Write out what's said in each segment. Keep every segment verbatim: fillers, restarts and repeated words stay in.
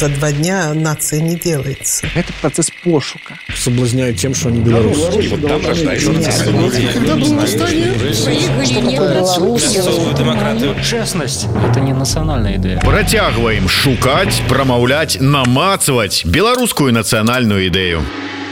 за два дня нация не делается. Это процесс пошука. Соблазняют тем, что они белорусы. Вот там рождаются демократию. Честность – это не национальная идея. Працягваем шукаць, прамаўляць, намацваць беларускую нацыянальную ідэю.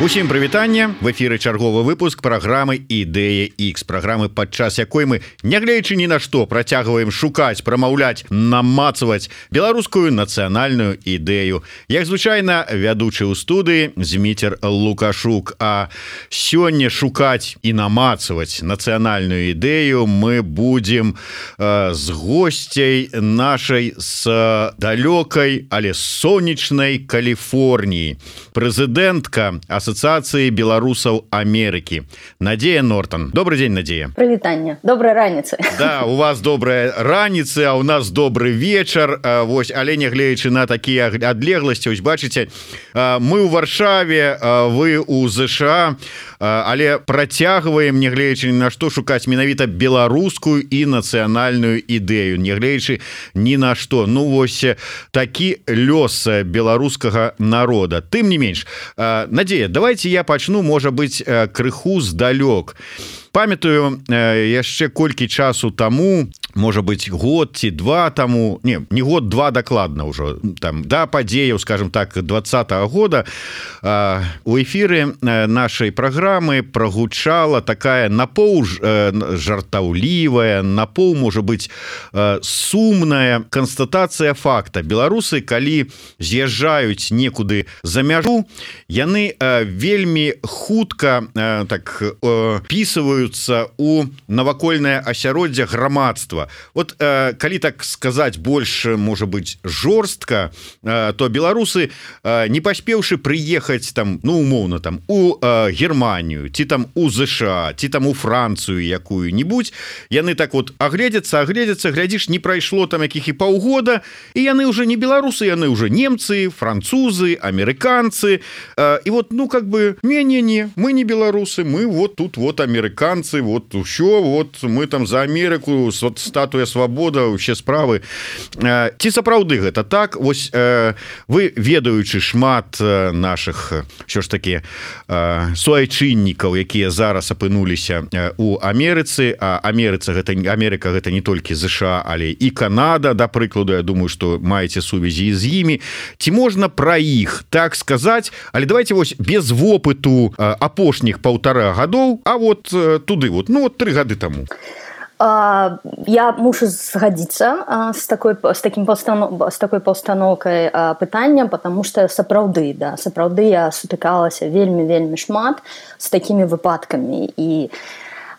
Усім прывітанне, в эфіры чарговы выпуск праграмы «Ідэя Х», праграмы, падчас якой мы, нягледзячы ні на што, працягваем шукаць, прамаўляць, намацваць беларускую нацыянальную ідэю. Як звычайна, вядучы ў студыі Зміцер Лукашук, а сёння шукаць і намацваць нацыянальную ідэю мы будзем э, з госцяй нашай з далёкай, але сонечнай Каліфорніі. Прэзідэнтка Асоциации белорусов Америки Надея Нортон. Добрый день, Надея. Привитание. Доброй раницы. Да, у вас добрая раница, а у нас добрый вечер. Вось, але нягледзячы на такие адлегласці, ось бачыце, мы ў Варшаве, вы ў ЗША, але працягваем, нягледзячы на што, шукаць менавіта беларускую і нацыянальную ідэю, нягледзячы ні на што. Ну вось такі лёс беларускага народа. Тым не менш, Надея, давайте я пачну, можа быць, крыху здалёк. Памятаю, яшчэ колькі часу таму, можа быць, год ці два таму, не, не год, два дакладна ўжо, там, да падзеяў, скажем так, двадцатага года, у эфіры нашай праграмы прагучала такая напоў жартаўлівая, напоў, можа быць, сумная канстатацыя факта. Беларусы, калі з'язджаюць некуды за мяжу, яны вельмі хутка так пісваюць у навакольнае асяроддзе грамадства. Вот э, калі так сказаць больш, можа быць, жорстка, э, то беларусы, э, не паспеўшы прыехаць там, ну, умоўна, там у э, Германію, ці там у ЗША, ці там у Францыю якую-нибудь, яны так вот агледзяцца, агледзяцца, глядзіш, не прайшло там якіх і паўгода, і яны уже не беларусы, яны уже немцы, французы, амерыканцы, э, і вот, ну, как бы, не-не-не, мы не беларусы, мы вот тут вот амерыканцы, вот ўсё, вот мы там за Амерыку, вот статуя свабода, усе справы. Ці сапраўды гэта так? Вось вы, ведаючы шмат наших, що ж такі, суайчыннікаў, якія зараз апынуліся у Амерыцы, а Амерыца гэта, Амерыка гэта не толькі ЗША, але і Канада, да прыкладу, я думаю, што маеце сувязі з імі. Ці можна пра іх так сказаць? Але давайте вось без вопыту апошніх паўтара гадоў, а вот туды вот, ну вот три гады тому. Я мушу згадзіцца с такой, с таким паўстанов, с такой паўстаноўкай пытання, потому что сапраўды, да, сапраўды я сутыкалася вельмі-вельмі шмат з такімі выпадкамі, і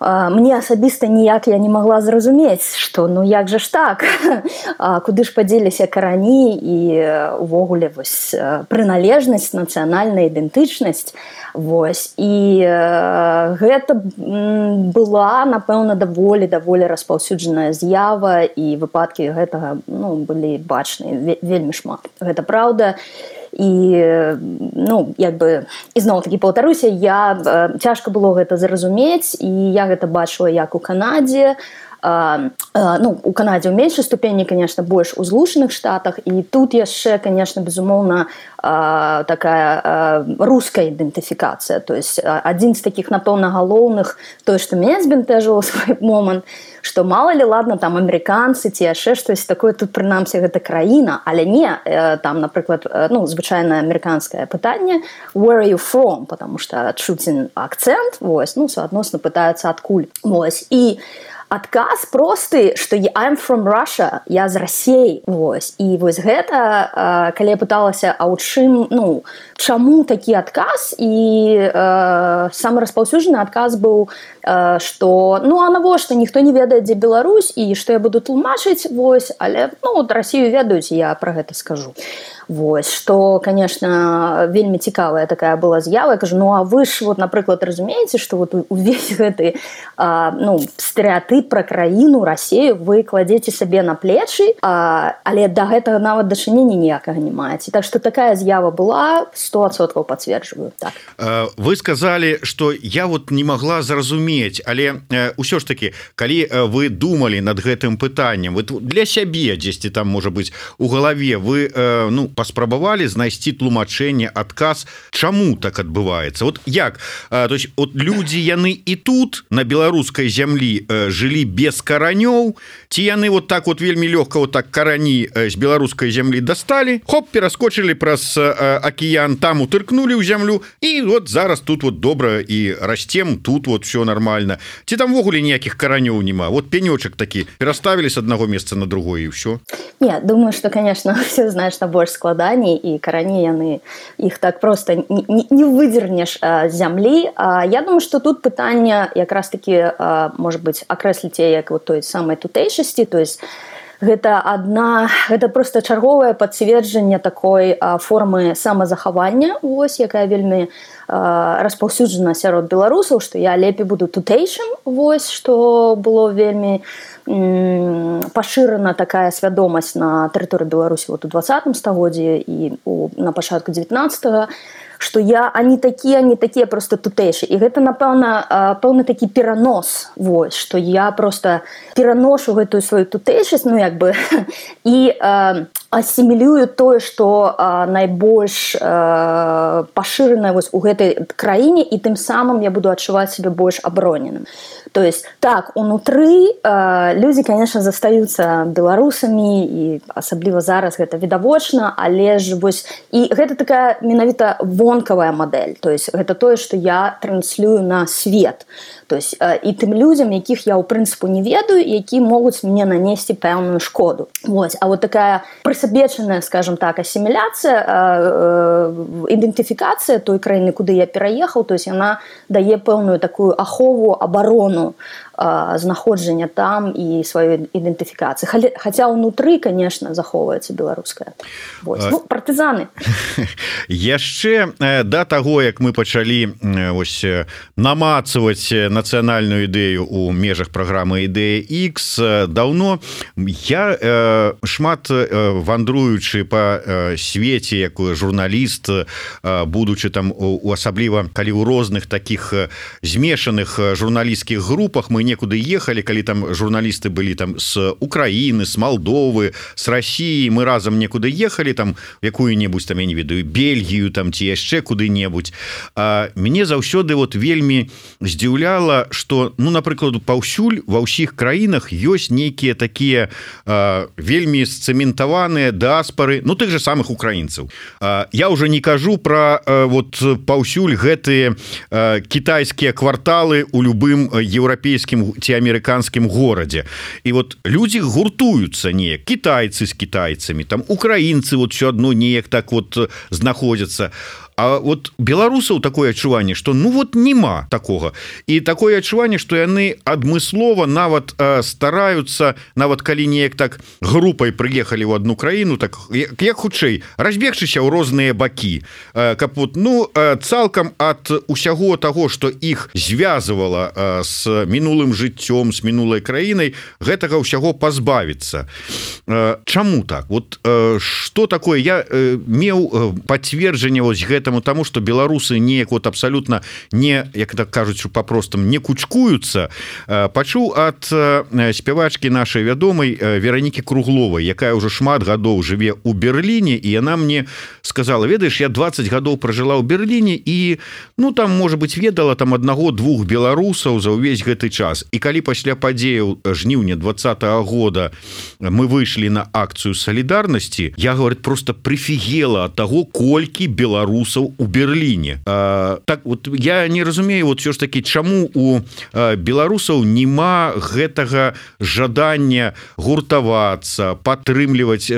мне асабіста ніяк я не могла зразумець, што ну як же ж так, куды ж падзеліся карані і увогуле вось прыналежнасць, нацыянальная ідэнтычнасць. Вось, і гэта была, напэўна, даволі даволі распаўсюджаная з'ява, і выпадкі гэтага, ну, былі бачныя вельмі шмат. Гэта праўда. І, ну, як бы, ізноў-такі паўтаруся, я, цяжка было гэта зразумець, і я гэта бачыла як у Канадзе, Uh, uh, ну, у Канадзе ў меншай ступені, конечно, больш у Злучаных Штатах, і тут яшчэ, конечно, безумоўна, uh, такая uh, руская ідэнтыфікацыя. То есть uh, адзін з такіх, напэўна, галоўных, тое, што мяне збянтэжыла ў свой момант, што мала ли, ладно, там амерыканцы ці яшчэ штось такое, тут прынамсі гэта краіна, але не, uh, там, напрыклад, uh, ну, звычайнае амерыканскае пытанне where are you from, потому што чуць акцэнт, вось, ну, суадносна пытаюцца адкуль. Вось, і адказ просты, што I'm from Russia, я з Расіі, вось. І вось гэта, калі я пыталася, а ў чым, ну, чаму такі адказ, і э, самы распаўсюджаны адказ быў, э, што, ну, а навошта, ніхто не ведае, дзе Беларусь, і што я буду тлумачыць, вось, але, ну, от Расію ведаюць, я пра гэта скажу. Вось, што, конечно, вельмі цікавая такая была з'ява. Я кажу, ну, а вы ж, вот, напрыклад, разумееце, што вот увесь гэты, а, ну, стэрэатып пра краіну, Расію вы кладзеце сабе на плечы, а, але да гэтага нават дачынення ніякага не маеце. Так што такая з'ява была, сто адсоткаў пацверджваю. Так. Вы сказалі, што я вот не магла зразумець, але ўсё ж такі, калі вы думалі над гэтым пытаннем, вы для сябе дзесьці там, можа быць, у галаве, вы, ну, паспрабавалі знайсці тлумачэнне, адказ, чаму так адбываецца? Вот як? То есть вот людзі яны і тут на беларускай зямлі жылі без каранёў, ці яны вот так вот вельмі лёгка вот так карані з беларускай зямлі дасталі, хоп, пераскочылі праз акіян, там утыркнулі ў зямлю, і вот зараз тут вот добра і расцем, тут вот все нормально. Ці там ввогуле ніякіх каранёў няма? Вот пенёчак такі пераставілі з аднаго месца на другое і ўсё? Не, думаю, что, конечно, все значна больш складаней, і карані яны іх так просто не, не выдзернеш з зямлі. А, я думаю, что тут пытанне якраз таки, может быть, акрэсліць як вот той самай тутэйшасці, то есть гэта одна, гэта просто чарговае пацверджанне такой а, формы самазахавання, вось, якая вельмі а, распаўсюджана сярод беларусаў, што я лепей буду тутэйшым, вось, што было вельмі м, пашырана такая свядомасць на тэрыторыі Беларусі вот у двадцатым стагоддзі і у, на пачатку дзевятнаццатага, што я ані такія, ані такія просто тутэйшы. І гэта, напэўна, пэўны такі перанос, вось, што я просто пераношу гэтую сваю тутэйшасць, ну, як бы, і э, асімілюю тое, што э, найбольш э, пашырана вось у гэтай краіне, і тым самым я буду адчуваць сябе больш абароненым. То есть, так, унутры э, людзі, конечно, застаюцца беларусамі, і асабліва зараз гэта відавочна, але ж вось, і гэта такая менавіта вонкавая мадэль, то есть гэта тое, што я транслюю на свет, то есть э, і тым людзям, якіх я ў прынцыпу не ведаю, які могуць мне нанесці пэўную шкоду. Вось, а вот такая прысабечаная, скажем так, асіміляцыя, э, э, ідэнтыфікацыя той краіны, куды я пераехаў, то есть яна дае пэўную такую ахову, абарону знаходжання там і сваёй ідэнтыфікацыі. Хаця ўнутры, конечно, захоўваецца беларуская. Вось. Ну, партызаны. Яшчэ да таго, як мы пачалі ось намацаваць нацыянальную ідэю ў межах праграмы «Ідэя Х», даўно я шмат вандруючы па свеце, як журналіст, будучы там асабліва, калі ў розных такіх змешаных журналісцкіх групах мы некуды ехалі, калі там журналісты былі там з Украіны, з Малдовы, з Расіі, мы разам некуды ехалі там якую-небудзь там, я не ведаю, Бельгію там ці яшчэ куды-небудзь. А мяне заўсёды вот вельмі здзіўляла, што, ну, напрыклад, паўсюль ва ўсіх краінах ёсць нейкія такія а, вельмі сцэментаваныя дыаспары, ну, тых же самых украінцаў. А, я ўжо не кажу пра а, вот паўсюль гэтыя а, кітайскія кварталы у любым еўрапейскім ці амерыканскім горадзе. І вот людзі гуртуюцца неяк, кітайцы з кітайцамі, там украінцы вот все адно неяк так вот знаходзяцца. А вот беларусаў такое адчуванне, што ну вот няма такога. І такое адчуванне, што яны адмыслова нават э, стараюцца, нават калі неяк так групай прыехалі ў одну краіну, так як, як хутчэй разбегчыся ў розныя бакі, э, каб вот, ну, э, цалкам ад усяго таго, што іх звязвала э, з мінулым жыццём, з мінулай краінай, гэтага ўсяго пазбавіцца. Э, чаму так? Вот э, што такое? Я э, меў э, пацверджанне вось гэта Таму, таму што беларусы неяк вот абсалютна не, як так кажуць па-простаму, не кучкуюцца. Пачуў ад спявачкі нашай вядомай Веранікі Кругловай, якая ўжо шмат гадоў жыве ў Берліне, і яна мне сказала: ведаеш, я дваццаць гадоў пражыла ў Берліне і, ну, там, можа быць, ведала там аднаго-двух беларусаў за ўвесь гэты час. І калі пасля падзеяў жніўня двадцатага года мы выйшлі на акцыю салідарнасці, я, говорит, просто прыфігела ад таго, колькі беларусаў у Берліне. А, так вот я не разумею, вот все ж таки, чаму у а, беларусаў нема гэтага жадання гуртавацца, падтрымліваць,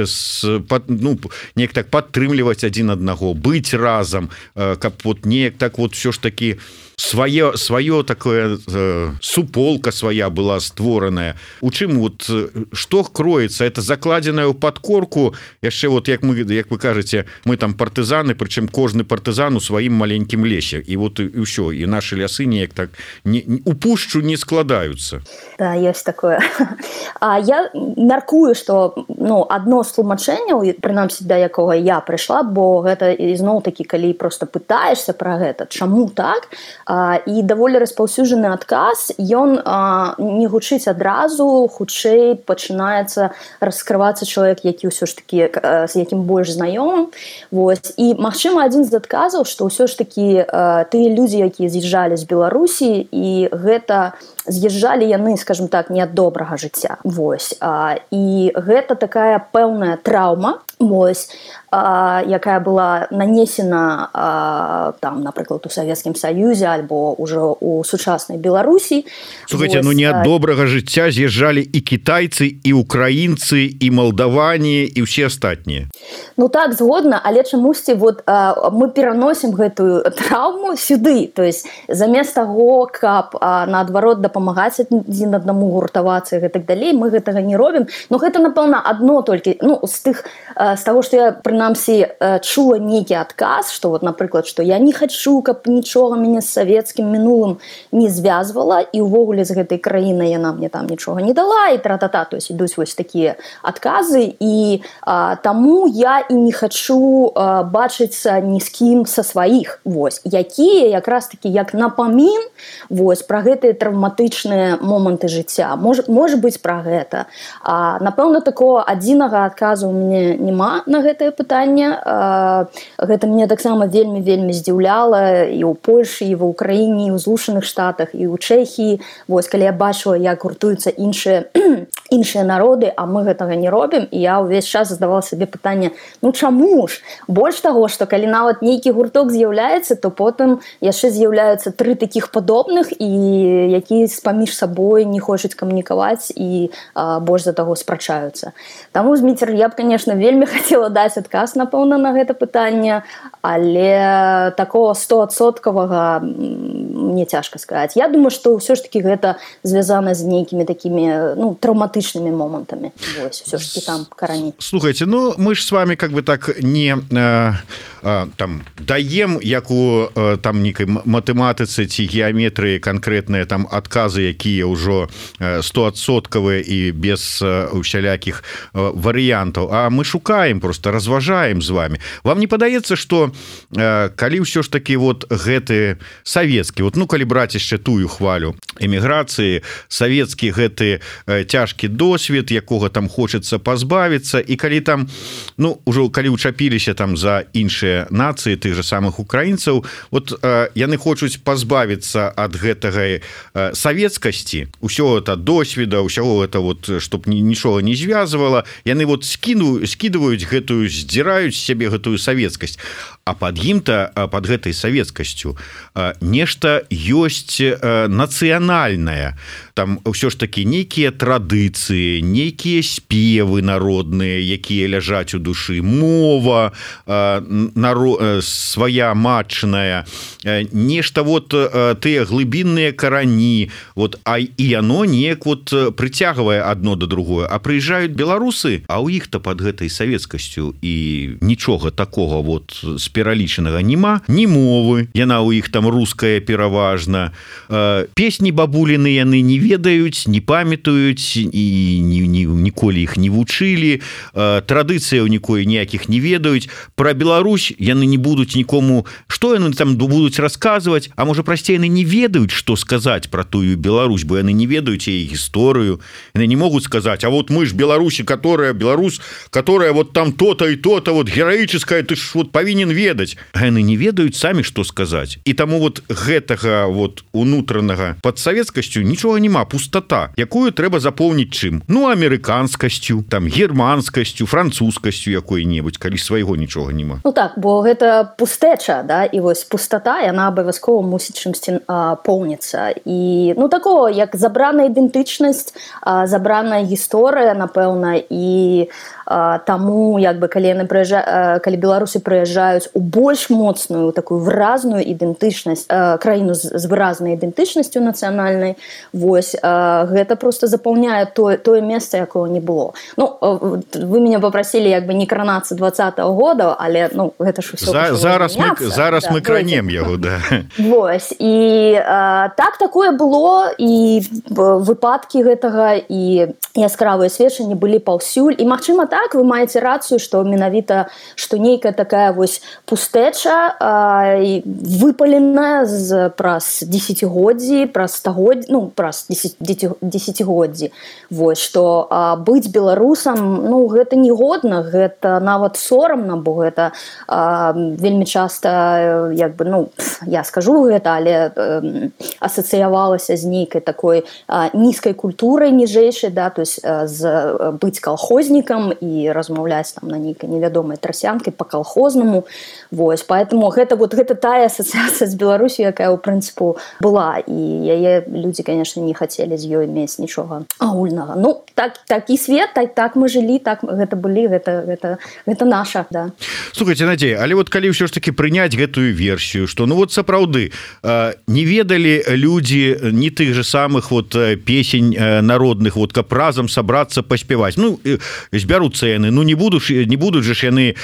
пад, ну, неяк так падтрымліваць адзін аднаго, быць разам, а, каб вот неяк так вот все ж таки свое, свое такое э, суполка своя была створаная. У чым вот што кроецца? Это закладзеная ў падкорку, яшчэ вот як мы, як вы кажаце, мы там партызаны, прычым кожны асобны партызан у сваім маленькім лесе і вот і ўсё і нашы лясы неяк так не, у пушчу не складаюцца. Да, есть такое. А я мяркую, што ну адно з тлумачэнняў, прынамсі да якога я прыйшла, бо гэта ізноў такі калі проста пытаешся пра гэта, чаму так, а, і даволі распаўсюджаны адказ, ён а, не гучыць адразу, хутчэй пачынаецца раскрывацца чалавек, які ўсё ж такі з якім больш знаёмым. Вось. І магчыма адзін з адказаў, што ўсё ж такі а, тыя людзі, якія з'язджалі з Беларусі, і гэта з'язджалі яны, скажем так, не ад добрага жыцця. Вось. А, і гэта такая пэўная траўма, вось, а, якая была нанесена а, там, напрыклад, у Савецкім Саюзе альбо ўжо у сучаснай Беларусі. Слухайте, вось, ну не ад добрага жыцця з'язджалі і кітайцы, і украінцы, і малдаване, і ўсе астатнія. Ну так, згодна, але чамусьці вот, а, мы пераносім гэтую траўму сюды. То есть замест таго, каб а, наадварот дапамагаць адзін аднаму гуртавацца і гэтак далей, мы гэтага не робім. Но гэта, напэўна, адно толькі, ну, з тых, з таго, што я, прынамсі, чула нейкі адказ, што, вот, напрыклад, што я не хачу, каб нічога мяне з савецкім мінулым не звязвала, і ўвогуле з гэтай краінай яна мне там нічога не дала, і тра-та-та, то есть ідуць вось такія адказы, і а, таму я і не хачу а, бачыцца ні з кім са сваіх, вось, якія якраз такі як напамін, вось, пра гэтыя травматычныя моманты жыцця. Мож, можа быць пра гэта. А, напэўна, такого адзінага адказу ў мяне няма на гэтае пытанне. А, гэта мне таксама вельмі-вельмі здзіўляла і ў Польшы, і ва Ўкраіне, і ў Злучаных Штатах, і ў Чэхіі. Вось, калі я бачыла, як гуртуюцца іншыя, іншыя народы, а мы гэтага не робім, і я ўвесь час задавала сабе пытанне, ну чаму ж? Больш таго, што калі нават нейкі гурток з'яўляецца, то потым яшчэ з'яўляюцца тры такіх падобных, і якія паміж сабой не хочуць камунікаваць і а, больш за таго спрачаюцца. Таму, Зміцер, я б, конечно, вельмі хацела даць адказ, напэўна, на гэта пытанне, але такого стоадсоткавага мне цяжка сказаць. Я думаю, што ўсё ж такі гэта звязана з нейкімі такімі ну, траўматычнымі момантамі. Вось, усё ж такі там карані. Слухайте, ну мы ж с вами как бы так не э, э, там даем як у э, там нейкай матэматыцы ці геаметрыі канкрэтныя там адказы, якія ўжо стоадсоткавыя і без э, усялякіх э, варыянтаў, а мы шукаем, просто разважаем з вами. Вам не падаецца, што э, калі ўсё ж такі вот гэты савецкі, вот ну калі браць яшчэ тую хвалю эміграцыі, савецкі гэты э, цяжкі досвед, якога там хочацца пазбавіцца, і калі там ну ўжо калі учапіліся там за іншыя нацыі тых же самых украінцаў, вот э, яны хочуць пазбавіцца ад гэтага э, савецкасці, усё это досведа, усяго это вот чтоб нічога не звязвала, яны вот скіну скідваюць гэтую, здзіраюць сябе гэтую савецкасць, а пад ім-то пад гэтай савецкасцю э, нешта ёсць э, нацыянальнае, там ўсё ж такі нейкія традыцыі, нейкія спевы народныя, якія ляжаць у душы, мова э, наро... э, свая матчная, э, нешта вот э, тыя глыбінныя карані, вот, а і яно неяк вот прыцягвае адно да другое, а прыязджаюць беларусы, а ў іх-то пад гэтай савецкасцю і нічога такога вот з пералічанага няма, ні мовы, яна ў іх там руская пераважна, э, песні бабуліны яны не ведаюць, не памятаюць і ні, ні, ніколі іх не вучылі, э, традыцыяў нікой ніякіх не ведаюць, пра Беларусь яны не будуць нікому, што яны там будуць расказваць, а можа прасцей яны не ведаюць, што сказаць пра тую Беларусь, бо яны не ведаюць яе гісторыю, яны не могуць сказаць, а вот мы ж Беларусі, которая Беларусь, которая вот там то-то и то-то вот героическая, ты ж вот павінен ведаць, а яны не ведаюць самі, што сказаць, і таму вот гэтага вот унутранага пад савецкасцю нічога няма, пустата, якую трэба запоўніць чым? Ну, амерыканскасцю, там германскасцю, французскасцю якой-небудзь, калі свайго нічога няма. Ну так, бо гэта пустэча, да, і вось пустата, яна абавязкова мусіць чымсьці а, поўніцца. І ну такого, як забраная ідэнтычнасць, а, забраная гісторыя, напэўна, і таму як бы калі яны прыязджа... калі беларусы прыязджаюць у больш моцную такую выразную ідэнтычнасць краіну з, з выразнай ідэнтычнасцю нацыянальнай, вось гэта просто запаўняе тое тое месца, якого не было. Ну вы меня попросили як бы не кранацца двадцатого года, але ну гэта ж усё За, зараз мы зараз да, мы кранем яго, да. Вось і а, так такое было, і выпадкі гэтага і яскравыя сведчанні былі паўсюль, і магчыма так вы маеце рацыю, што менавіта што нейкая такая вось пустэча а, выпаленая з праз дзесяцігоддзі, праз стагоддзі, ну праз дзесяцігоддзі. Вось што а, быць беларусам, ну гэта не годна, гэта нават сорамна, бо гэта а, вельмі часта як бы, ну я скажу гэта, але э, асацыявалася з нейкай такой а, нізкай культурай ніжэйшай, да, то есть а, з быць калхознікам і размаўляць там на нейкай невядомай трасянкай па-калхознаму. Вось, поэтому гэта вот гэта тая асацыяцыя з Беларусю, якая ў прынцыпу была, і яе людзі, конечно, не хацелі з ёй мець нічога агульнага. Ну так такі свет, так так мы жылі, так гэта былі, гэта гэта гэта наша, да. Слухайте, Надзея, але вот калі ўсё ж таки прыняць гэтую версію, што ну вот сапраўды не ведалі людзі не тых же самых вот песень народных, вот каб разам сабрацца паспяваць. Ну збяруцца яны, ну не будуць не будуць же ж яны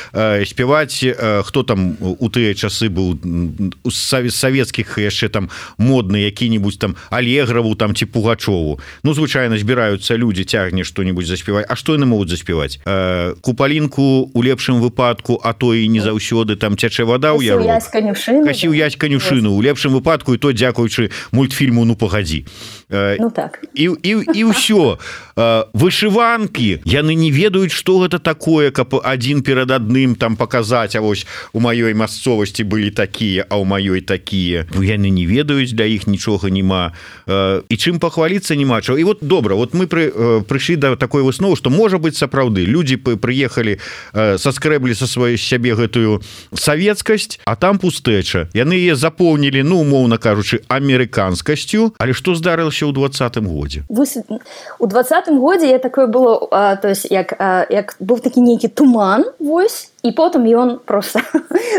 спяваць, хто там у тыя часы быў з савецкіх яшчэ там модны які-нибудь там Алеграву там ці Пугачову. Ну звычайна збіраюцца людзі, цягне што-нибудь заспяваць. А што яны могуць заспяваць? Купалінку у лепшым выпадку, а то і не заўсёды там цячэ вада ў яру. Касіў ясь канюшыну у лепшым выпадку, і то дзякуючы мультфільму «Ну пагадзі». Ну так. І, і, і ўсё. Вышыванкі, яны не ведаюць, што гэта такое, каб адзін перад адным там паказаць, а вось у маёй мясцовасці былі такія, а ў маёй такія. Яны не ведаюць, для іх нічога няма. І чым пахваліцца няма чаго. І вот добра, вот мы пры, прыйшлі да такой высновы, што можа быць сапраўды. Людзі прыехалі, саскрэблі са сваёй сябе гэтую савецкасць, а там пустэча. Яны яе запоўнілі, ну, умоўна кажучы, амерыканскасцю. Але што здарылася ў двадцатым годзе? У двадцатым годзе я такое было, а, то есть як, а, як быў такі нейкі туман, вось, і потым ён просто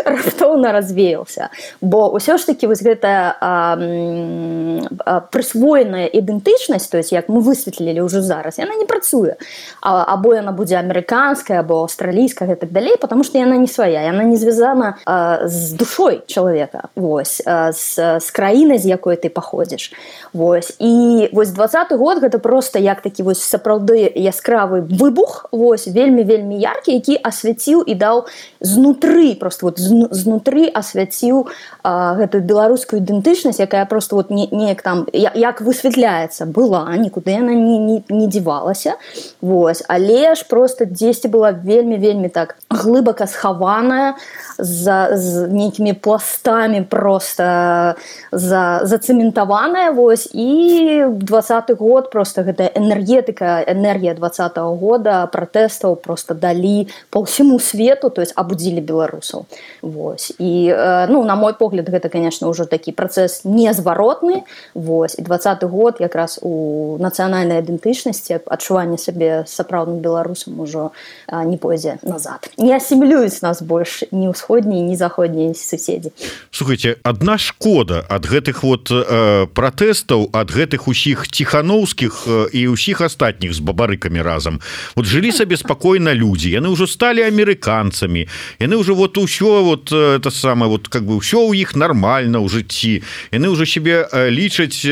раптоўна развеялся, бо ўсё ж таки вось гэтая а, а, прысвоеная ідэнтычнасць, то есть як мы высветлілі ўжо зараз, яна не працуе, а, або яна будзе амерыканская, або аўстралійская і так далей, потому что яна не свая, яна не звязана а, з душой чалавека, вось, а, з, з краінай, з якой ты паходзіш, вось, і вось двадцаты год гэта просто як такі вось сапраўды яскравы выбух, вось, вельмі-вельмі яркі, які асвяціў і даў знутры, просто вот знутры асвяціў а, гэтую беларускую ідэнтычнасць, якая просто вот не, неяк там, як высвятляецца, была, нікуды яна не, не, не дзівалася, вось, але ж просто дзесьці была вельмі-вельмі так глыбака схаваная, за, з нейкімі пластамі просто за, зацэментаваная, вось, і двадцаты год просто гэтая энергетыка, энергія двадцатого года, пратэстаў просто далі по ўсяму свету, то есть абудзілі беларусаў. Вось. І, ну, на мой погляд, гэта, конечно, ўжо такі працэс незваротны. Вось. І двадцаты год якраз у нацыянальнай ідэнтычнасці, адчуванне сябе сапраўдным беларусам ужо не пойдзе назад. Не асімілююць нас больш ні ўсходнія, ні заходнія суседзі. Слухайте, адна шкода ад гэтых вот э, пратэстаў, ад гэтых усіх ціхановскіх э, і ўсіх астатніх з бабарыкамі разам. Вот жылі сабе спакойна людзі, яны ўжо сталі амерыканцамі, яны ўжо вот усё вот это самае, вот как бы ўсё ў іх нармальна ў жыцці, яны ўжо сябе лічаць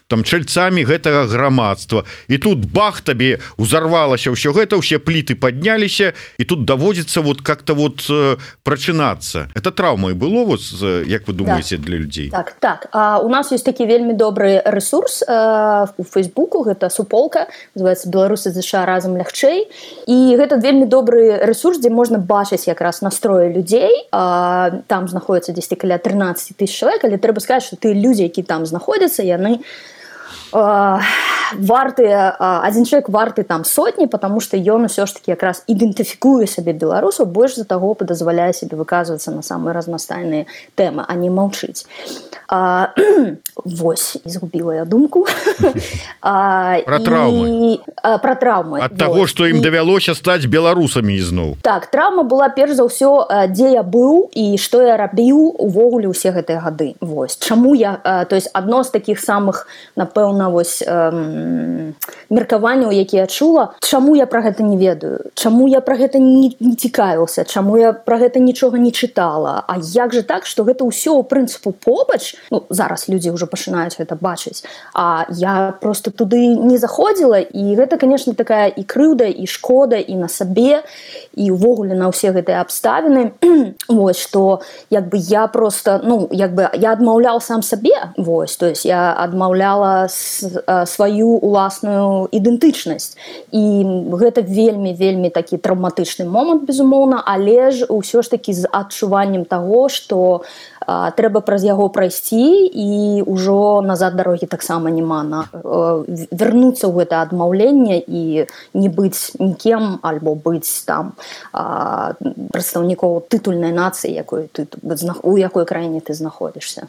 там чальцамі гэтага грамадства, і тут бах, табе узарвалася ўсё гэта, ўсе пліты падняліся, і тут даводзіцца вот как-то вот прачынацца. Это траўмай было, вот, як вы думаеце, так, для людзей? Так, так. А у нас ёсць такі вельмі добры ресурс э, у Фейсбуку, гэта суполка, называецца «Беларусы ЗША разам лягчэй», і гэта вельмі добры ресурс, дзе можна бачыць якраз настроі людзей. А, там знаходзіцца дзесьці каля трынаццаць тысяч чалавек, але трэба сказаць, што тыя людзі, які там знаходзяцца, яны варты адзін чалавек варты там сотні, потому что ён усё ж таки якраз ідэнтыфікуе сабе беларусаў, больш за таго дазваляе себе выказвацца на самыя разнастайныя тэмы, а не маўчыць. А, вось, згубіла я думку. А, про траўмы. А, про траўмы. Ад таго, што ім давялося стаць беларусамі ізноў. Так, траўма была перш за ўсё, дзе я быў і што я рабіў увогуле ўсе гэтыя гады. Вось. Чаму я, то есть адно з такіх самых, напэўна, вось эм, меркаванняў, якія я чула, чаму я пра гэта не ведаю, чаму я пра гэта не, не цікавіўся, чаму я пра гэта нічога не чытала, а як же так, што гэта ўсё ў прынцыпу побач. Ну, зараз людзі ўжо пачынаюць гэта бачыць, а я просто туды не заходзіла, і гэта, конечно, такая і крыўда, і шкода, і на сабе, і ўвогуле на ўсе гэтыя абставіны. Вось, што, як бы, я просто, ну, як бы, я адмаўляў сам сабе, вось, то есть я адмаўляла сваю уласную ідэнтычнасць, і гэта вельмі-вельмі такі траўматычны момант, безумоўна, але ж ўсё ж такі з адчуваннем таго, што а, трэба праз яго прайсці, і ўжо назад дарогі таксама няма, на вярнуцца ў гэта адмаўленне і не быць нікем, альбо быць там а, прадстаўнікоў тытульнай нацыі, якой ты, у якой краіне ты знаходзішся.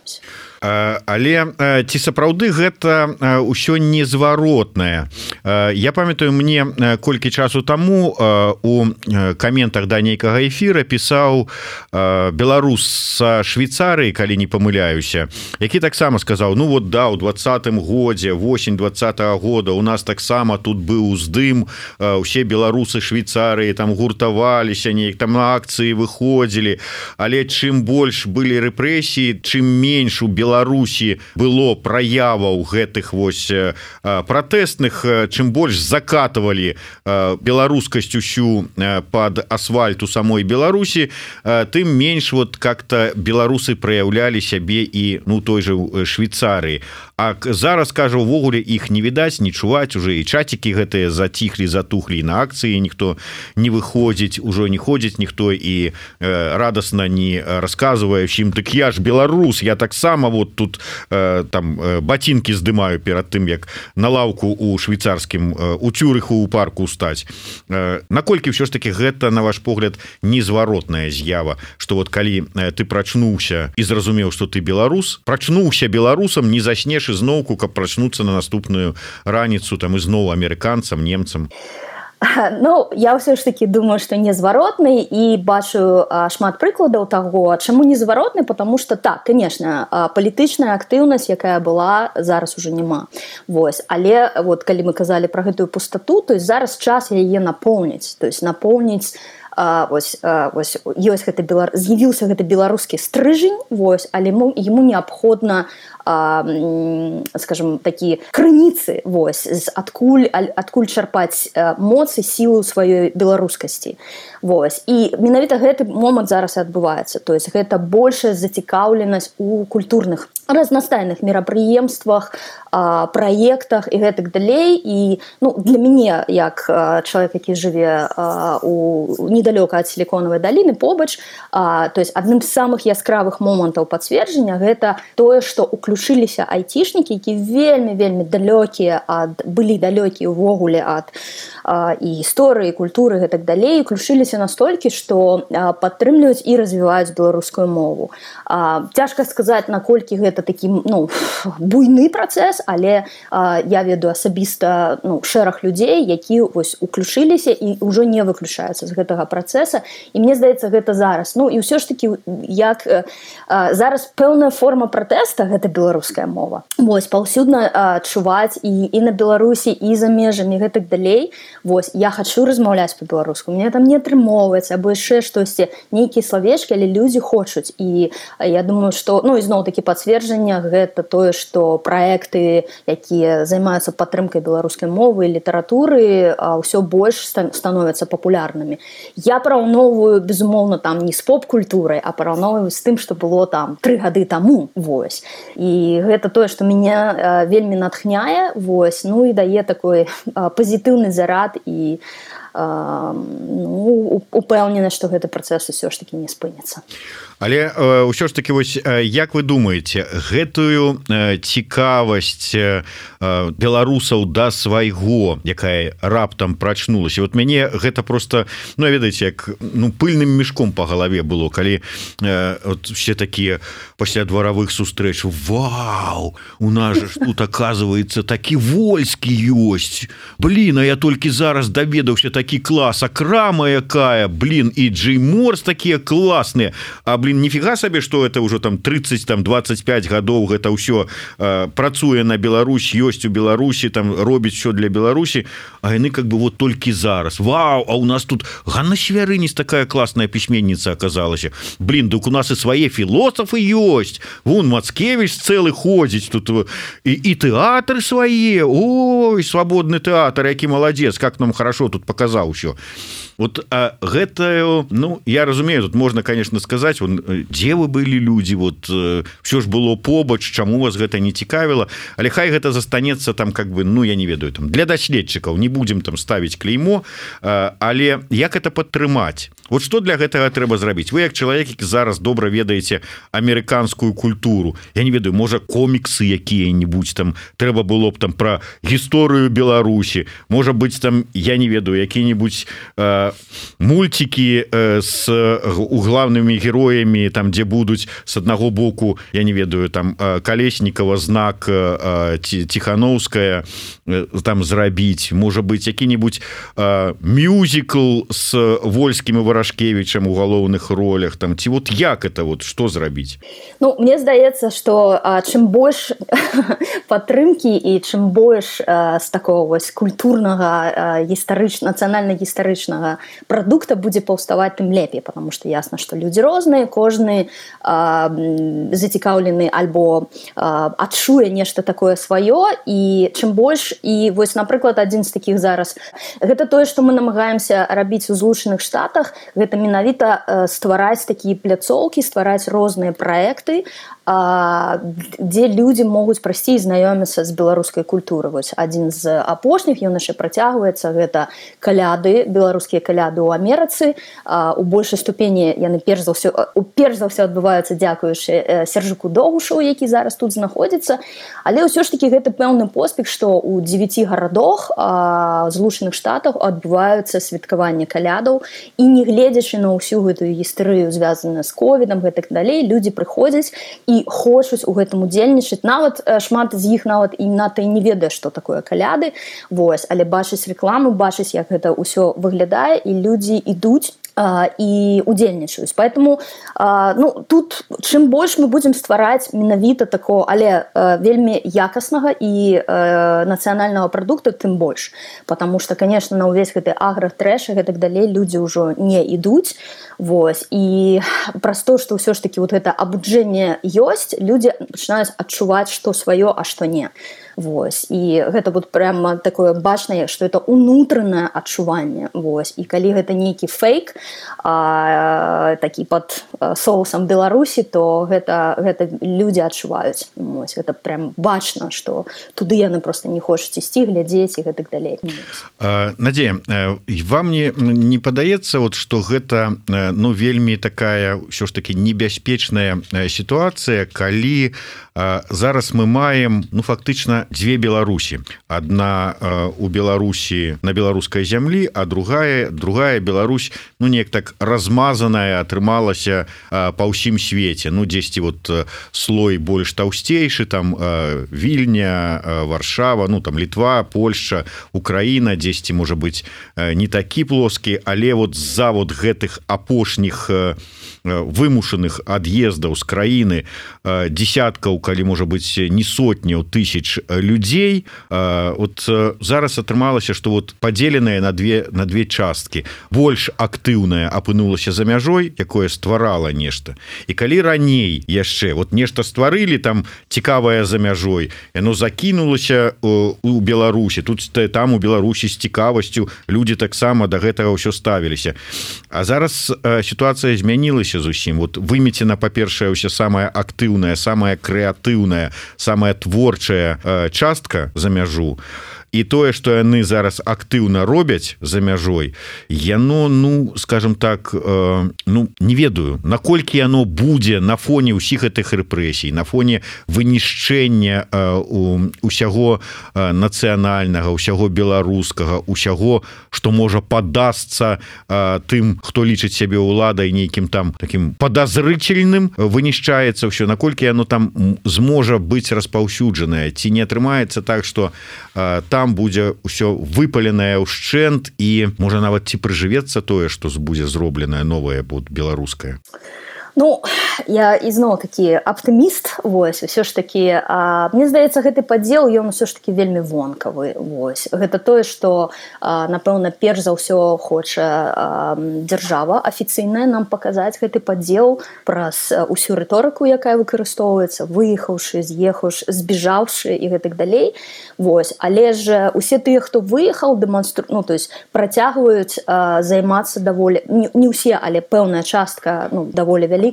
Але ці сапраўды гэта ўсё незваротнае? Я памятаю, мне колькі часу таму у каментах да нейкага эфіра пісаў беларус са Швейцарыі, калі не памыляюся, які таксама сказаў: ну вот да, у двадцатым годзе, восень двадцатага года у нас таксама тут быў уздым, усе беларусы Швейцарыі там гуртаваліся, неяк там на акцыі выходзілі, але чым больш былі рэпрэсіі, чым менш у Беларусі было праяваў гэтых вось пратэсных, чым больш закатывалі беларускасць усю под асфальт у самой Беларусі, тым менш вот как-то беларусы праяўлялі сябе і ну той же Швейцарыі. А зараз, кажа, увогуле іх не відаць, не чуваць, уже і чацікі гэтыя заціхлі, затухлі, на акцыі ніхто не выходзіць, ужо не ходзіць ніхто і э, радасна не расказвае ўсім: дык я ж беларус, я таксама вот тут э, там э, ботинки здымаю перад тым, як на лаўку у швейцарскім э, у Цюрыху у парку стаць. Э, наколькі ўсё ж таки гэта, на ваш погляд, незваротная з'ява, што вот калі э, ты прачнуўся і зразумеў, што ты беларус, прачнуўся беларусам, не заснеш ізноўку, каб прачнуцца на наступную раніцу там ізноў амерыканцам, немцам? Ну, я ўсё ж таки думаю, што незваротны, і бачу а, шмат прыкладаў таго, чаму незваротны, потому что так, конечно, а, палітычная актыўнасць, якая была, зараз уже няма. Вось, але вот калі мы казалі пра гэтую пустату, то есть зараз час яе напоўніць, то есть напоўніць А, вось, а, вось, ёсць гэта белар... з'явіўся гэты беларускі стрыжень, вось, але ему, ему неабходна, а, скажем, такі крыніцы, вось, з адкуль, адкуль чарпаць моцы, сілу сваёй беларускасці. Вось. І менавіта гэты момант зараз і адбываецца. То есть гэта большая зацікаўленасць у культурных разнастайных мерапрыемствах, а, праектах і гэтак далей. І ну, для мяне, як а, чалавек, які жыве а, у недалёка ад сіліконавай даліны, побач, а, то есть адным з самых яскравых момантаў пацверджання гэта тое, што уключыліся айцішнікі, які вельмі-вельмі далёкія ад, былі далёкія ўвогуле ад а, і гісторыі, культуры і гэтак далей, уключыліся настолькі, што а, падтрымліваюць і развіваюць беларускую мову. А, цяжка сказаць, наколькі гэта такі ну, буйны працэс, але а, я ведаю асабіста ну, шэраг людзей, які вось уключыліся і ўжо не выключаюцца з гэтага працэса, і мне здаецца, гэта зараз. Ну і ўсё ж такі, як а, зараз пэўная форма пратэста, гэта беларуская мова. Вось, паўсюдна адчуваць і, і на Беларусі, і за межамі, гэтак далей. Вось, я хачу размаўляць па-беларуску, мне там не атрымоўваецца, або яшчэ штосьці, нейкія словечкі, але людзі хочуць. І я думаю, што, ну, ізноў-такі пацверджання, гэта тое, што праекты, якія займаюцца падтрымкай беларускай мовы і літаратуры, ўсё больш становяцца папулярнымі. Я параўноўваю, безумоўна, там не з поп-культурай, а параўноўваю з тым, што было там тры гады таму, вось. І гэта тое, што мяне вельмі натхняе, вось, ну і дае такой пазітыўны зарад і ну, упэўнена, што гэты працэс усё ж таки не спыніцца. Але ўсё ж таки вось як вы думаеце, гэтую цікавасць беларусаў да свайго, якая раптам прачнулася, вот мяне гэта просто, ну ведаеце, як ну пыльным мешком по галаве было, калі вот все такія пасля дваравых сустрэч: вау, у нас же тут оказывается такі Вольскі ёсць, блин, а я толькі зараз даведаўся, такі клас, а крама якая, блин, і Джей Морс такія класныя, а блин, нифига себе, что это уже там тридцать, там двадцать пять гадоў гэта ўсё э, працуе на Беларусь, ёсць у Беларусі, там робіць все для Беларусі, а яны как бы вот толькі зараз. Вау, а у нас тут Ганна Свярынец такая классная письменница оказалась. Блин, так у нас и свои философы есть. Вон Мацкевич целый ходит тут, и, и театры свои. Ой, свободный театр, який молодец, как нам хорошо тут показал еще. Вот а гэта, ну, я разумею, тут можно, конечно, сказать, вон, дзе вы былі людзі, вот все ж было побач, чаму вас гэта не цікавіла, але хай гэта застанецца там, как бы, ну, я не ведаю, там для даследчыкаў, не будем там ставіць клеймо, але як это падтрымаць? Вот что для гэтага трэба зрабіць? Вы як чалавек, які зараз добра ведаеце амерыканскую культуру, я не ведаю, можа коміксы якія-нибудь там трэба было б там про гісторыю Беларусі, можа быть там, я не ведаю, якія-нибудь э, мультики э, с главными героями, там где будуць с аднаго боку, я не ведаю, там э, Колесникова, Знак, э, Тихановская э, там зрабіць, можа быть які-нибудь э, мюзикл с Вольским и Варашкевичем у галоўных ролях, там ці вот як это вот что зрабіць? Ну, мне здаецца, что а, чым больш падтрымки і чым больш а, з такого вось культурнага гістарыч нацыянальна-гістарычнага прадукта будзе паўставаць, тым лепей, потому что ясно, что люди розныя, кожны а, зацікаўлены альбо а, адчуе нешта такое сваё, і чым больш, і вось, напрыклад, адзін з такіх зараз, гэта тое, што мы намагаемся рабіць у Злучаных Штатах, гэта менавіта э, ствараць такія пляцоўкі, ствараць розныя праекты, а, дзе людзі могуць прайсці і знаёміцца з беларускай культурай. Вось адзін з апошніх, ён яшчэ працягваецца, гэта каляды, беларускія каляды ў Амерыцы. А, у большай ступені яны перш за ўсё, перш за ўсё адбываюцца дзякуючы Сержыку Догушу, які зараз тут знаходзіцца. Але ўсё ж такі гэта пэўны поспех, што ў дзевяці гарадах а, Злучаных Штатах адбываюцца святкаванне калядаў, і не гледзячы на ўсю гэтую гістарыю, звязаную з ковідам, гэтак далей, людзі прыходзяць і хочуць у гэтым удзельнічаць. Нават шмат з іх нават і ната і не ведае, што такое каляды, вось, але бачыць рэкламу, бачыць, як гэта ўсё выглядае, і людзі ідуць і удзельнічаюць. Поэтому ну, тут чым больш мы будзем ствараць менавіта такого, але вельмі якаснага і нацыянальнага прадукта, тым больш. Потому что, конечно, на ўвесь гэты агратрэш і гэтак далей людзі ўжо не ідуць. Вось. І праз то, што ўсё ж такі вот гэта абуджэнне ёсць, людзі пачынаюць адчуваць, што сваё, а што не. Вось. І гэта вот прямо такое бачнае, што это унутранае адчуванне. Вось. І калі гэта нейкі фейк, а, такі пад соусам Беларусі, то гэта, гэта людзі адчуваюць. Вось. Гэта прям бачна, што туды яны просто не хочуць ісці, глядзець і гэтак далей. Надзея, вам не, не падаецца, вот, што гэта ну, вельмі такая ўсё ж таки небяспечная сітуацыя, калі зараз мы маем ну фактычна дзве Беларусі. Адна у Беларусі на беларускай зямлі, а другая другая Беларусь ну неяк так размазаная атрымалася па ўсім свеце. Ну дзесьці вот слой больш таўсцейшы, там Вільня, Варшава, ну там Літва, Польшча, Украіна, дзесьці можа быць не такі плоскі, але вот з-за вот гэтых апошніх вымушаных ад'ездаў з краіны десяткаў, калі можа быць не сотняў тысяч людзей, вот зараз атрымалася, што вот падзеленая на две на две часткі. Больш актыўная апынулася за мяжой, якое стварала нешта. І калі раней яшчэ вот нешта стварылі там цікавае за мяжой, яно закінулася у Беларусі, тут там у Беларусі з цікавасцю людзі таксама да гэтага ўсё ставіліся. А зараз сітуацыя змянілася зусім. Вот вымецена, па-першае, ўсё самая актыўная, самая крэатыўная, самая творчая частка за мяжу. і тое што яны зараз актыўна робяць за мяжой, яно, ну скажем так, ну не ведаю, наколькі яно будзе на фоне ўсіх гэтых рэпрэсій, на фоне вынішчэння усяго нацыянальнага, усяго беларускага, усяго, што можа падасца тым, хто лічыць сябе ўладай нейкім там таким подозрительным, вынішчаецца ўсё, наколькі яно там зможа быць распаўсюджанае, ці не атрымаецца так, што там будзе ўсё выпаленае ўшчэнт і можа нават ці прыжывецца тое, што будзе зробленае новае будет беларускае. Ну, я ізноў такі аптыміст, вось, ўсё ж такі, а, мне здаецца, гэты падзел, ён ўсё ж такі вельмі вонкавы, вось. Гэта тое, што, а, напэўна, перш за ўсё хоча а, дзяржава афіцыйная нам паказаць гэты падзел праз усю рыторыку, якая выкарыстоўваецца, выехаўшы, з'ехаўшы, збежаўшы і гэтак далей, вось. Але ж усе тыя, хто выехаў, дэманстру... ну, то есть працягваюць а, займацца даволі, не, не ўсе, але пэўная частка, ну, даволі вялікая,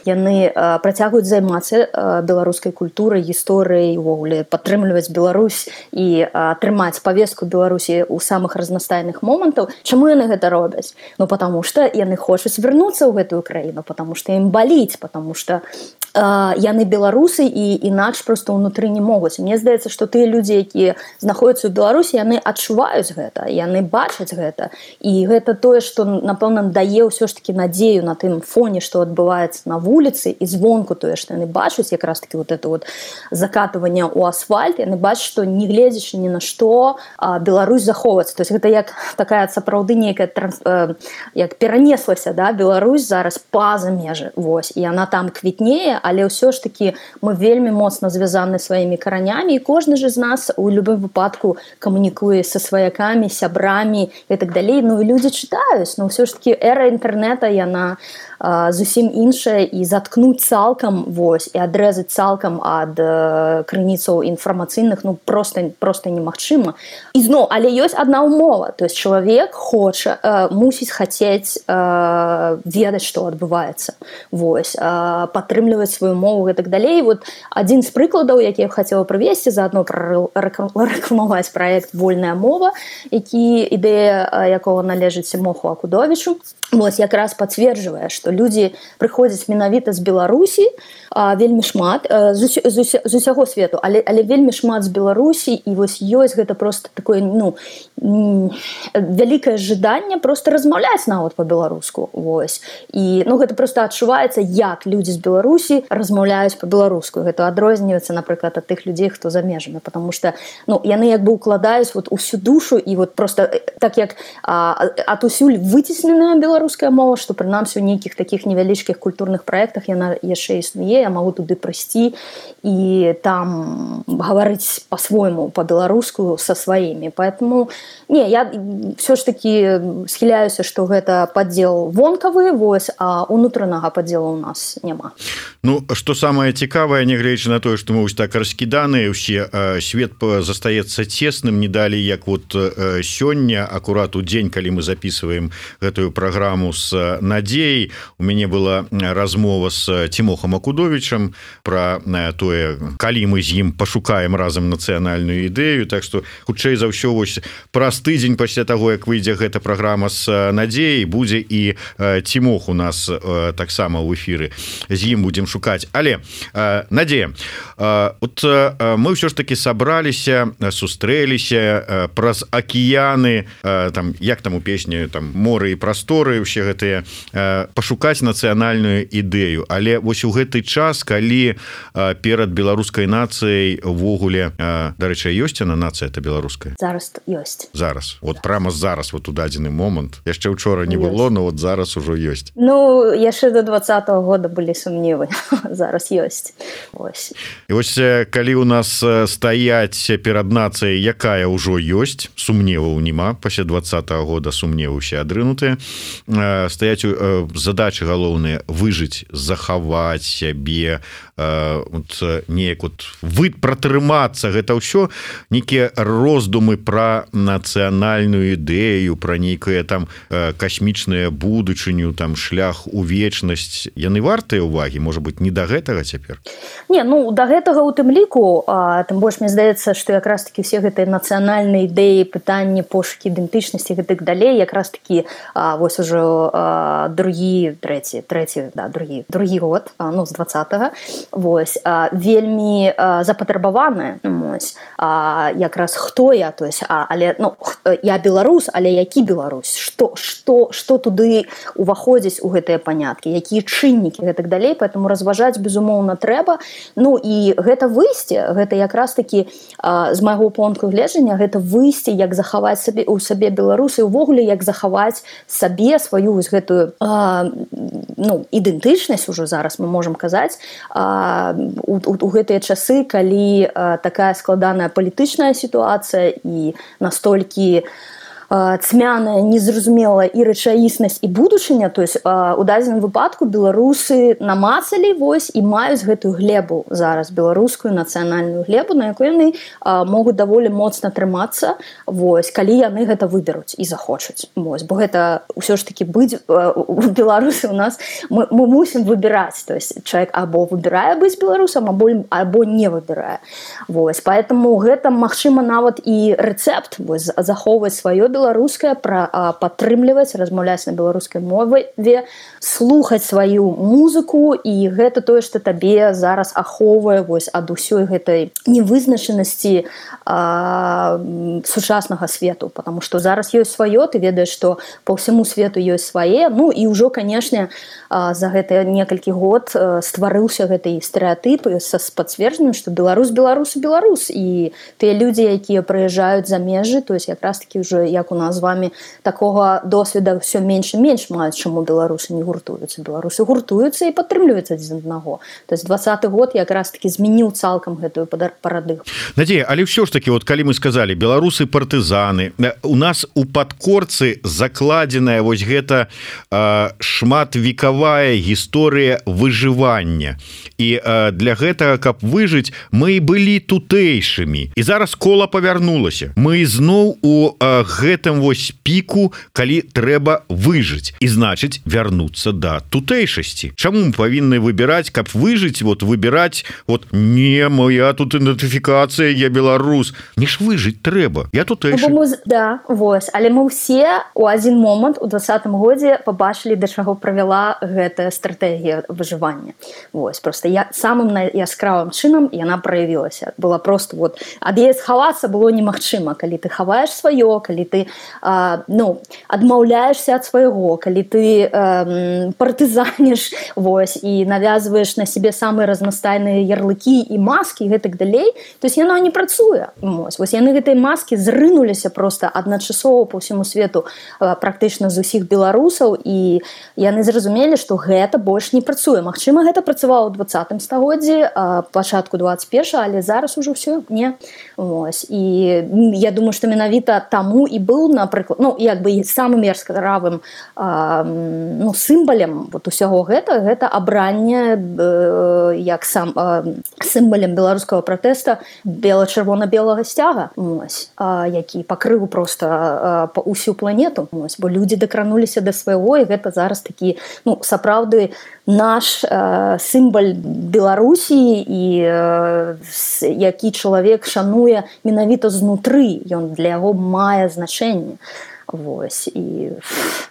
яны э, працягваюць займацца э, беларускай культурай, гісторыяй, увогуле падтрымліваць Беларусь і э, трымаць павестку Беларусі ў самых разнастайных момантаў. Чаму яны гэта робяць? Ну, потому што яны хочуць вярнуцца ў гэтую краіну, потому што ім баліць, потому што э, яны беларусы і інакш проста ўнутры не могуць. Мне здаецца, што тыя людзі, якія знаходзяцца ў Беларусі, яны адчуваюць гэта, яны бачаць гэта. І гэта тое, што, напэўна, дае ўсё ж такі надзею на тым фоне, што адбываецца на вуліцы і звонку тое, што яны бачаць якраз таки вот это вот закатыванне ў асфальт, яны бачаць, што не гледзячы ні на што Беларусь захоўваецца. То есть гэта як такая сапраўды нейкая транс... як перанеслася, да, Беларусь зараз па-за межы, вось, і яна там квітнее, але ўсё ж таки мы вельмі моцна звязаны сваімі каранямі, і кожны ж з нас у любым выпадку камунікуе са сваякамі, сябрамі і так далей. Ну і людзі чытаюць, но ўсё ж таки эра інтэрнета, яна зусім іншая, і заткнуць цалкам, вось, і адрэзаць цалкам ад э, крыніцаў інфармацыйных, ну просто просто немагчыма. І зноў, але ёсць адна ўмова, то есть чалавек хоча, э, мусіць хацець э, ведаць, што адбываецца, вось, э, падтрымліваць сваю мову і так далей. Вот адзін з прыкладаў, які я хацела прывесці, заадно рэкламаваць праект «Вольная мова», які ідэя якого належыць Моху Акудовічу, вось, якраз пацверджвае, што людзі прыходзяць менавіта з Беларусі, а, вельмі шмат, а, з, з, з усяго свету, але, але вельмі шмат з Беларусі, і вось ёсць гэта просто такое, ну, вялікае жаданне просто размаўляць нават па-беларуску, вось. І, ну, гэта просто адчуваецца, як людзі з Беларусі размаўляюць па-беларуску. Гэта адрозніваецца, напрыклад, ад тых людзей, хто за межамі, потому што, ну, яны як бы укладаюць вот усю душу, і вот просто так як а, атусюль выцесненая беларуская мова, што прынамсі у нейкіх таких невялічкіх культурных праектах яна яшчэ існуе, я магу туды прыйсці і там гаварыць по-свойму, по-беларуску са сваімі. Поэтому, не, я все ж таки схіляюся, што гэта падзел вонкавы, вось, а унутранага падзела ў нас няма. Ну, што самае цікавае, нягледзячы на тое, што мы вось так раскіданыя ўсе, свет застаецца цесным, не далей, як вот сёння, акурат у дзень, калі мы записываем гэтую праграму з Надзеяй, у мяне была размова з Тимохом Акудовічам про тое, калі мы з ім пашукаем разам нацыянальную ідэю, так што хутчэй за ўсё вось праз тыдзень пасля таго, як выйдзе гэта праграма з Надзеяй, будзе і Тимох у нас таксама ў эфіры, з ім будзем шукаць. Але Надзея, вот мы ўсё ж таки сабраліся, сустрэліся праз акіяны, там, як там у песні, там моры і прасторы, усе гэтыя, пашукаць нацыянальную ідэю. Але вось у гэты час, калі перад беларускай нацыяй увогуле, дарэчы, ёсць яна нацыя, это беларуская? Зараз ёсць. Зараз. Вот прямо зараз, вот у дадзены момант. Яшчэ учора не было, но вот зараз ужо ёсць. Ну, яшчэ до двадцатого года былі сумневы. Зараз ёсць. Вось. І вось калі у нас стаяць перад нацыяй, якая ўжо ёсць, сумневаў няма, пасля двадцатого года сумневы ўсе адрынутыя, стаяць задача задачы галоўныя выжыць, захаваць сябе, неяк вот вы пратрымацца, гэта ўсё нейкія роздумы пра нацыянальную ідэю, пра нейкае там касмічнае будучыню, там шлях у вечнасць, яны вартыя ўвагі, можа быть, не да гэтага цяпер? Не, ну да гэтага у тым ліку, а, тым больш мне здаецца, што якраз такі все гэтыя нацыянальныя ідэі, пытанні, пошукі ідэнтычнасці гэтак далей, якраз такі а, вось ужо а, другі, трэці, трэці, да, другі, другі год, а, ну з двадцатага, вось а, вельмі а, запатрабаваныя, вось а, якраз хто я, то есть, а, але ну я беларус, але які беларусь, што што што туды уваходзіць у гэтыя паняткі, якія чыннікі гэтак далей, поэтому разважаць безумоўна трэба. Ну і гэта выйсце, гэта якраз такі а, з майго пункту гледжання, гэта выйсце, як захаваць сабе у сабе беларусы, увогуле як захаваць сабе сваю вось гэтую а, ну ідэнтычнасць ужо зараз мы можам казаць а, у, у, у гэтыя часы, калі а, такая складаная палітычная сітуацыя і настолькі цьмяная, незразумелая і рэчаіснасць і будучыня, то есть у дадзеным выпадку беларусы намацалі вось і маюць гэтую глебу зараз, беларускую нацыянальную глебу, на якой яны могуць даволі моцна трымацца, вось, калі яны гэта выберуць і захочуць. Вось, бо гэта ўсё ж такі быць у беларусы у нас мы, мы мусім выбіраць, то есть чалавек або выбірае быць беларусам, або, або не выбірае. Вось, поэтому гэта магчыма нават і рэцэпт, вось, захоўваць сваё беларускае, падтрымліваць, размаўляць на беларускай мове, слухаць сваю музыку, і гэта тое, што табе зараз ахоўвае вось ад усёй гэтай невызначанасці а, сучаснага свету, потому што зараз ёсць сваё, ты ведаеш, што па ўсяму свету ёсць свае, ну і ўжо, канешне, за гэтыя некалькі год стварыўся гэты стэрэатып са пацверджаннем, што беларус, беларус, беларус, і тыя людзі, якія прыязджаюць за межы, то есть якраз такі ўжо як у нас з вами такога досведа все менш і менш маюць, чаму беларусы не гуртуюцца. Беларусы гуртуюцца і падтрымліваюцца адзін аднаго. То есть двадцаты год якраз таки змяніў цалкам гэтую парадыгму. Надзея, але ўсё ж таки, вот калі мы сказали беларусы партызаны, у нас у падкорцы закладзеная вось гэта э, шматвекавая гісторыя выжывання. І э, для гэтага, каб выжыць, мы былі тутэйшымі. І зараз кола павярнулася. Мы зноў у э, гэтым вось піку, калі трэба выжыць, і значыць вярнуцца да тутэйшасці. Чаму мы павінны выбіраць, каб выжыць, вот выбіраць, вот не, моя тут ідэнтыфікацыя, я беларус. Не ж выжыць трэба, я тутэйшы. Ну, мы, да, вось, але мы ўсе у адзін момант у двадцатым годзе пабачылі, да чаго правяла гэтая стратэгія выжывання. Вось, просто я самым яскравым чынам яна праявілася. Была просто вот, ад яе схавацца было немагчыма, калі ты хаваеш сваё, калі ты а, ну, адмаўляешься ад свайго, калі ты а, партызаніш, вось, і навязваеш на себе самыя разнастайныя ярлыкі і маскі і гэтак далей, то есть яно не працуе. Вось, вось яны гэтыя маскі зрынуліся просто адначасова по ўсяму свету а, практычна з усіх беларусаў, і яны зразумелі, што гэта больш не працуе. Магчыма, гэта працавала ў двадцатым стагоддзі, а, пачатку двадцать первого, але зараз ужо все не. Вось, і я думаю, што менавіта таму і быў, напрыклад, ну, як бы самым яскравым ну, сімвалем вот усяго гэта, гэта абранне э, як сам э, сімвалем беларускага пратэста бела-чырвона-белага сцяга, ось, э, які пакрыў проста э, усю планету, ось, бо людзі дакрануліся да свайго, і гэта зараз такі, ну, сапраўды наш э, сімваль Беларусі, і э, які чалавек шануе менавіта знутры, ён для яго мае значэнне. Вось, і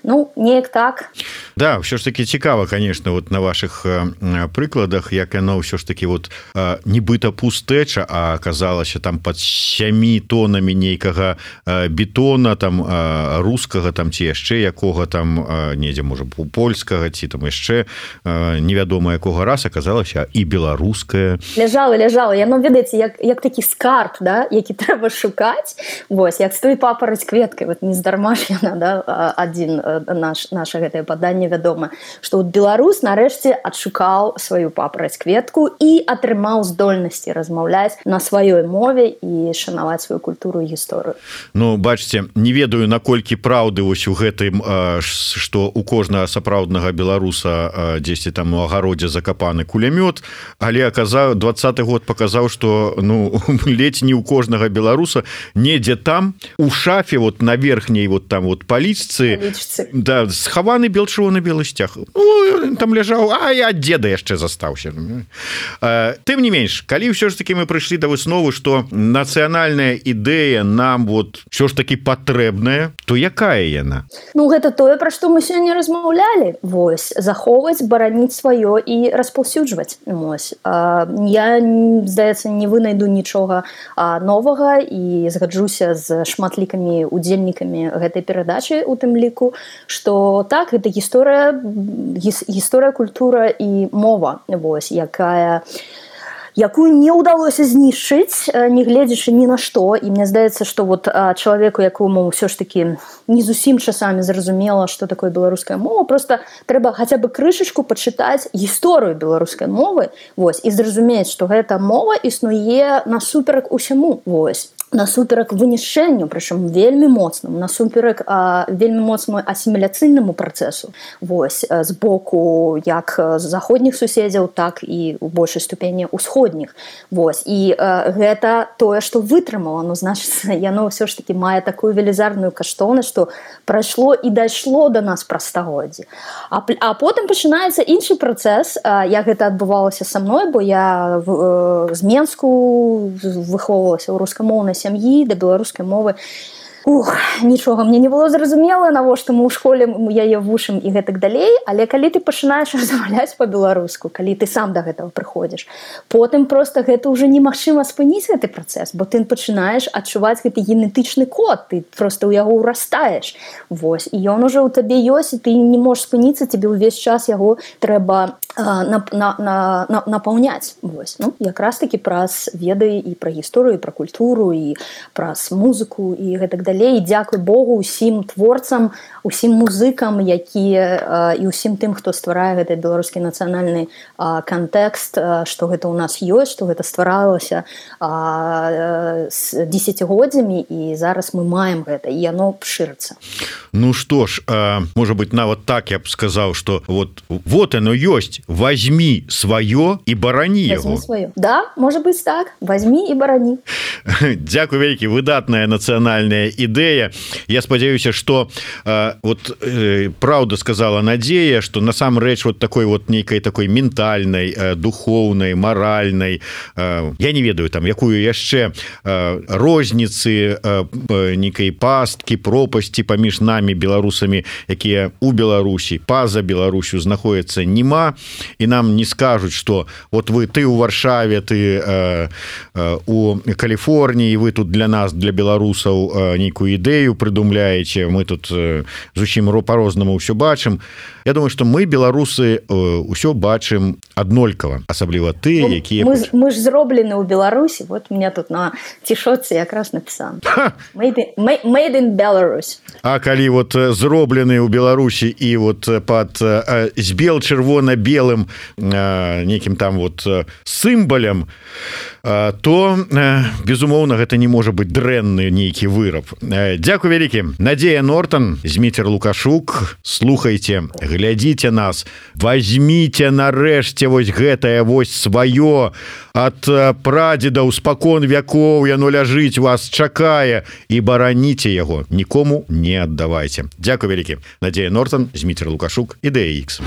ну, неяк так. Да, ўсё ж таки цікава, конечно, вот на ваших э, прыкладах, як яно ўсё ж таки вот э, нібыта пустэча, а аказалася там под сямі тонамі нейкага э, бетона, там э, рускага, там ці яшчэ якога там э, недзе, можа, польскага, ці там яшчэ э, невядома якога раз аказалася і беларуская. Ляжала, ляжала. Яно, ведаеце, як, як такі скарб, да, які трэба шукаць. Вось, як стоіць папараць кветкай, вот нездарма кірмаш яна, да, адзін наш, наша гэтае паданне вядома, што вот беларус нарэшце адшукаў сваю папараць кветку і атрымаў здольнасці размаўляць на сваёй мове і шанаваць сваю культуру і гісторыю. Ну, бачце, не ведаю, наколькі праўды вось у гэтым, што у кожнага сапраўднага беларуса дзесьці там у агародзе закапаны кулямёт, але аказаў двадцаты год паказаў, што ну ледзь не у кожнага беларуса недзе там у шафе вот на верхняй вот там вот палічцы да, схаваны бел-чырвоны белы сцяг. Ну, там ляжаў, а я ад деда яшчэ застаўся. Тым не менш, калі ўсё ж таки мы прыйшлі да высновы, што нацыянальная ідэя нам вот ўсё ж таки патрэбная, то якая яна? Ну гэта тое, пра што мы сёння размаўлялі. Вось, захоўваць, бараніць сваё і распаўсюджваць. Вось. Я, здаецца, не вынайду нічога новага і згаджуся з шматлікімі удзельнікамі гэтай перадачы у тым ліку, што так, гэта гісторыя, гісторыя, культура і мова, вось, якая якую не ўдалося знішчыць, не гледзячы ні на што. І мне здаецца, што вот чалавеку, якому ўсё ж такі не зусім часамі зразумела, што такое беларуская мова, просто трэба хаця бы крышачку пачытаць гісторыю беларускай мовы, вось, і зразумець, што гэта мова існуе насуперак усяму, вось. Насуперак вынішчэнню, прычым вельмі моцным, насуперак а, вельмі моцнаму асіміляцыйнаму працэсу, вось, з боку як заходніх суседзяў, так і ў большай ступені ўсходніх. Вось, і а, гэта тое, што вытрымала, ну, значыць, яно ўсё ж такі мае такую велізарную каштоўнасць, што прайшло і дайшло да нас праз стагоддзі. А, а потым пачынаецца іншы працэс, а, як гэта адбывалася са мной, бо я в, з Менску выхоўвалася ў рускамоўнай сям'і, да беларускай мовы. Ух, нічога мне не было зразумела, навошта мы ў школе яе вучым і гэтак далей, але калі ты пачынаеш размаўляць па-беларуску, калі ты сам да гэтага прыходзіш, потым проста гэта ўжо немагчыма спыніць гэты працэс, бо ты пачынаеш адчуваць гэты генетычны код, ты проста ў яго ўрастаеш. Вось, і ён ужо ў табе ёсць, і ты не можаш спыніцца, тебе ўвесь час яго трэба а, на, на, на, на, напаўняць. Вось, ну, якраз такі праз веды і пра гісторыю, і пра культуру, і праз музыку, і гэтак далей. І дзякуй Богу усім творцам, усім музыкам, якія і усім тым, хто стварае гэты беларускі нацыянальны кантэкст, што гэта ў нас ёсць, што гэта стваралася з дзесяцігоддзямі, і зараз мы маем гэта, і яно шырыцца. Ну што ж, можа быць, нават так я б сказаў, што вот, вот оно ёсць, возьми сваё і барані яго. Да, можа быць так, возьми і барані. Дзякуй вялікі, выдатная нацыянальная ідэя. Я спадзяюся, што э, вот э, праўда сказала Надзея, што насамрэч вот такой вот нейкай такой ментальнай, э, духоўнай, маральнай, э, я не ведаю там якую яшчэ э, розніцы, э, нейкай пасткі, пропасці паміж намі беларусамі, якія у Беларусі, па-за Беларусю знаходзяцца, нема, і нам не скажуць, што вот вы, ты у Варшаве, ты э, э, у Каліфорніі, вы тут для нас, для беларусаў, э, нейкую ідэю прыдумляеце, мы тут э, зусім па-рознаму ўсё бачым. Я думаю, што мы, беларусы, ўсё бачым аднолькава, асабліва ты, якія... Мы, мы ж зроблены ў Беларусі, вот у меня тут на цішотцы якраз напісана. Made in, made in Belarus. А калі вот зроблены ў Беларусі і вот пад э, з бел-чырвона-белым э, нейкім там вот сімбалем, э, то, э, безумоўна, гэта не можа быць дрэнны нейкі выраб. Э, дзякуй вялікі. Надзея Нортан, Зміцер Лукашук, слухайце, глядзіце нас, возьміце нарэшце вось гэтае вось сваё ад прадзедаў спакон вякоў, яно ляжыць, вас чакае, і бараніце яго, нікому не аддавайце. Дзякуй вялікі. Надзея Нортан, Зміцер Лукашук, Ідэя Ікс.